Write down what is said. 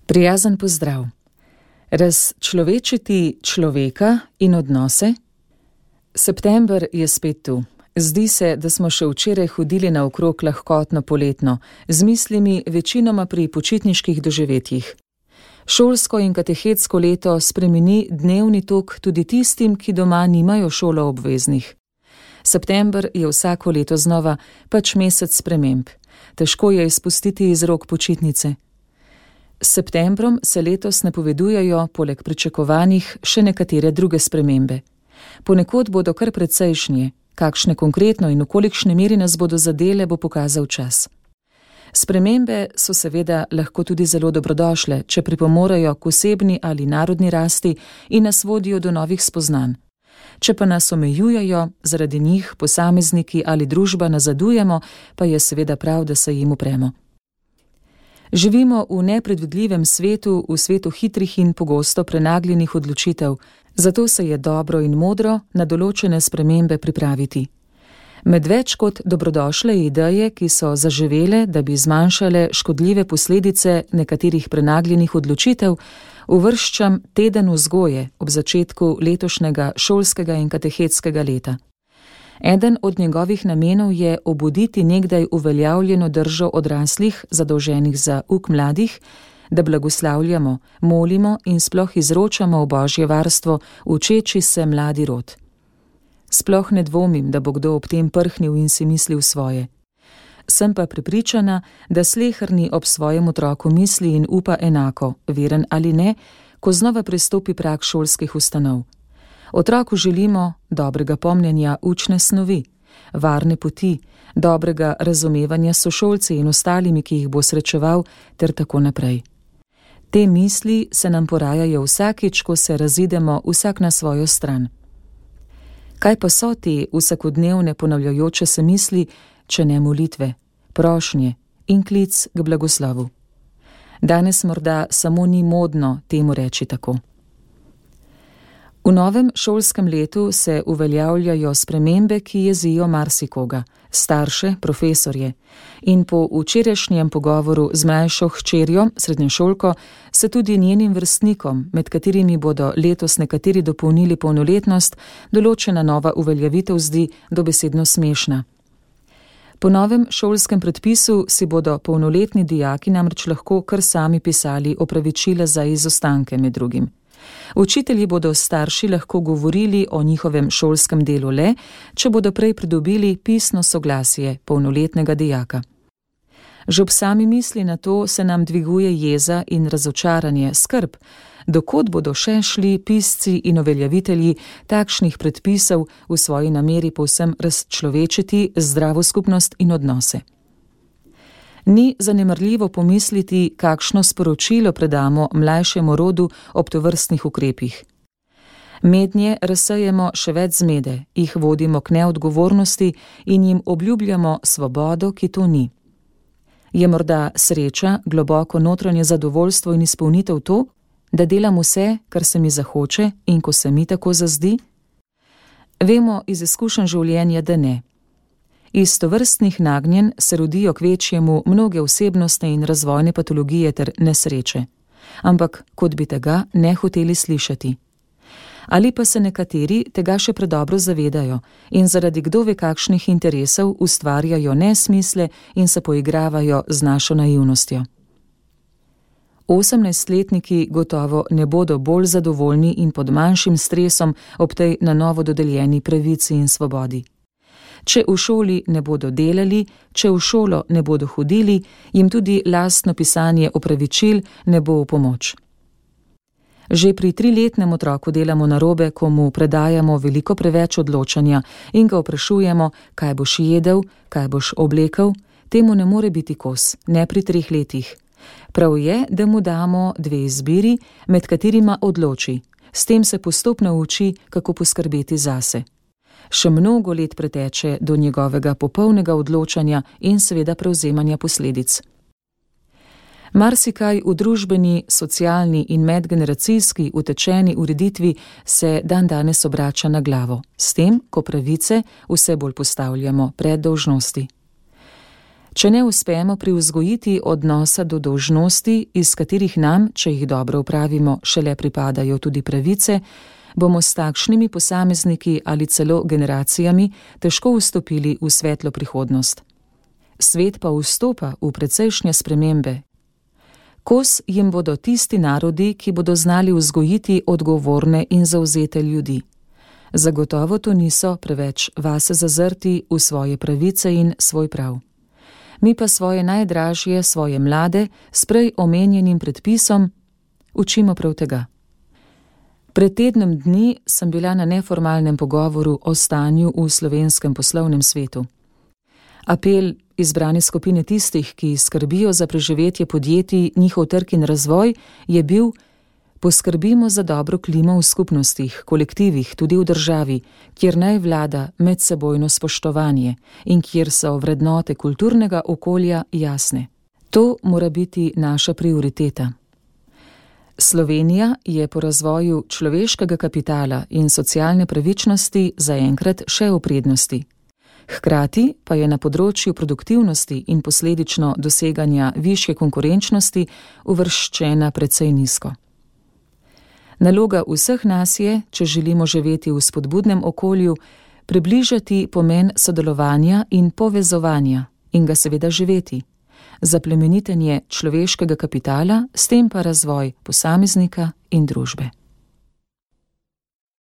Prijazen pozdrav. Razčlovečiti človeka in odnose? September je spet tu. Zdi se, da smo še včeraj hodili naokrog lahkotno poletno, z mislimi večinoma pri počitniških doživetjih. Šolsko in katehetsko leto spremeni dnevni tok tudi tistim, ki doma nimajo šolo obveznih. September je vsako leto znova pač mesec sprememb. Težko je izpustiti iz rok počitnice. S septembrom se letos napovedujejo, poleg pričakovanih, še nekatere druge spremembe. Ponekod bodo kar precejšnje, kakšne konkretno in v kolikšni meri nas bodo zadele, bo pokazal čas. Spremembe so seveda lahko tudi zelo dobrodošle, če pripomorejo k osebni ali narodni rasti in nas vodijo do novih spoznanj. Če pa nas omejujejo, zaradi njih posamezniki ali družba nazadujemo, pa je seveda prav, da se jim upremo. Živimo v nepredvidljivem svetu, v svetu hitrih in pogosto prenagljenih odločitev, zato se je dobro in modro na določene spremembe pripraviti. Med več kot dobrodošle ideje, ki so zaživele, da bi zmanjšale škodljive posledice nekaterih prenagljenih odločitev, uvrščam teden vzgoje ob začetku letošnjega šolskega in katehetskega leta. Eden od njegovih namenov je obuditi nekdaj uveljavljeno držo odraslih, zadolženih za uk mladih, da blagoslavljamo, molimo in sploh izročamo v Božje varstvo učeči se mladi rod. Sploh ne dvomim, da bo kdo ob tem prhnil in si mislil svoje. Sem pa prepričana, da sleherni ob svojem otroku misli in upa enako, veren ali ne, ko znova prestopi prag šolskih ustanov. Otroku želimo dobrega pomnjenja učne snovi, varne poti, dobrega razumevanja s sošolci in ostalimi, ki jih bo srečeval, ter tako naprej. Te misli se nam porajajo vsakič, ko se razidemo vsak na svojo stran. Kaj pa so te vsakodnevne ponavljajoče se misli, če ne molitve, prošnje in klic k blagoslovu? Danes morda samo ni modno temu reči tako. V novem šolskem letu se uveljavljajo spremembe, ki jezijo marsikoga, starše, profesorje, in po včerajšnjem pogovoru z mlajšo hčerjo, srednješolko, se tudi njenim vrstnikom, med katerimi bodo letos nekateri dopolnili polnoletnost, določena nova uveljavitev zdi dobesedno smešna. Po novem šolskem predpisu si bodo polnoletni dijaki namreč lahko kar sami pisali opravičila za izostanke med drugim. Učitelji bodo starši lahko govorili o njihovem šolskem delu le, če bodo prej pridobili pisno soglasje polnoletnega dijaka. Že ob sami misli na to se nam dviguje jeza in razočaranje, skrb, dokod bodo še šli pisci in uveljavitelji takšnih predpisov v svoji nameri povsem razčlovečiti zdravo skupnost in odnose. Ni zanemarljivo pomisliti, kakšno sporočilo predamo mlajšemu rodu ob tovrstnih ukrepih. Mednje razsejemo še več zmede, jih vodimo k neodgovornosti in jim obljubljamo svobodo, ki to ni. Je morda sreča, globoko notranje zadovoljstvo in izpolnitev to, da delam vse, kar se mi zahoče in ko se mi tako zazdi? Vemo iz izkušenj življenja, da ne. Iz tovrstnih nagnjenj se rodijo kvečjemu mnoge osebnostne in razvojne patologije ter nesreče, ampak kot bi tega ne hoteli slišati. Ali pa se nekateri tega še predobro zavedajo in zaradi kdo ve kakšnih interesov ustvarjajo nesmisle in se poigravajo z našo naivnostjo. 18-letniki gotovo ne bodo bolj zadovoljni in pod manjšim stresom ob tej na novo dodeljeni pravici in svobodi. Če v šoli ne bodo delali, če v šolo ne bodo hodili, jim tudi lastno pisanje opravičil ne bo v pomoč. Že pri 3-letnem otroku delamo narobe, ko mu predajamo veliko preveč odločanja in ga vprašujemo, kaj boš jedel, kaj boš oblekel, temu ne more biti kos, ne pri 3 letih. Prav je, da mu damo 2 izbiri, med katerima odloči. S tem se postopno uči, kako poskrbeti zase. Še mnogo let preteče do njegovega popolnega odločanja in seveda prevzemanja posledic. Marsikaj v družbeni, socialni in medgeneracijski utečeni ureditvi se dandanes obrača na glavo, s tem, ko pravice vse bolj postavljamo pred dolžnosti. Če ne uspemo privzgojiti odnosa do dolžnosti, iz katerih nam, če jih dobro upravimo, šele pripadajo tudi pravice, bomo s takšnimi posamezniki ali celo generacijami težko vstopili v svetlo prihodnost. Svet pa vstopa v precejšnje spremembe. Kos jim bodo tisti narodi, ki bodo znali vzgojiti odgovorne in zavzete ljudi. Zagotovo to niso preveč vase zazrti v svoje pravice in svoj prav. Mi pa svoje najdražje, svoje mlade, s prej omenjenim predpisom, učimo prav tega. Pred tednom dni sem bila na neformalnem pogovoru o stanju v slovenskem poslovnem svetu. Apel izbrane skupine tistih, ki skrbijo za preživetje podjetij, njihov trg in razvoj, je bil: poskrbimo za dobro klimo v skupnostih, kolektivih, tudi v državi, kjer naj vlada medsebojno spoštovanje in kjer so vrednote kulturnega okolja jasne. To mora biti naša prioriteta. Slovenija je po razvoju človeškega kapitala in socialne pravičnosti zaenkrat še v prednosti. Hkrati pa je na področju produktivnosti in posledično doseganja višje konkurenčnosti uvrščena precej nizko. Naloga vseh nas je, če želimo živeti v spodbudnem okolju, približati pomen sodelovanja in povezovanja in ga seveda živeti, za plemenitenje človeškega kapitala, s tem pa razvoj posameznika in družbe.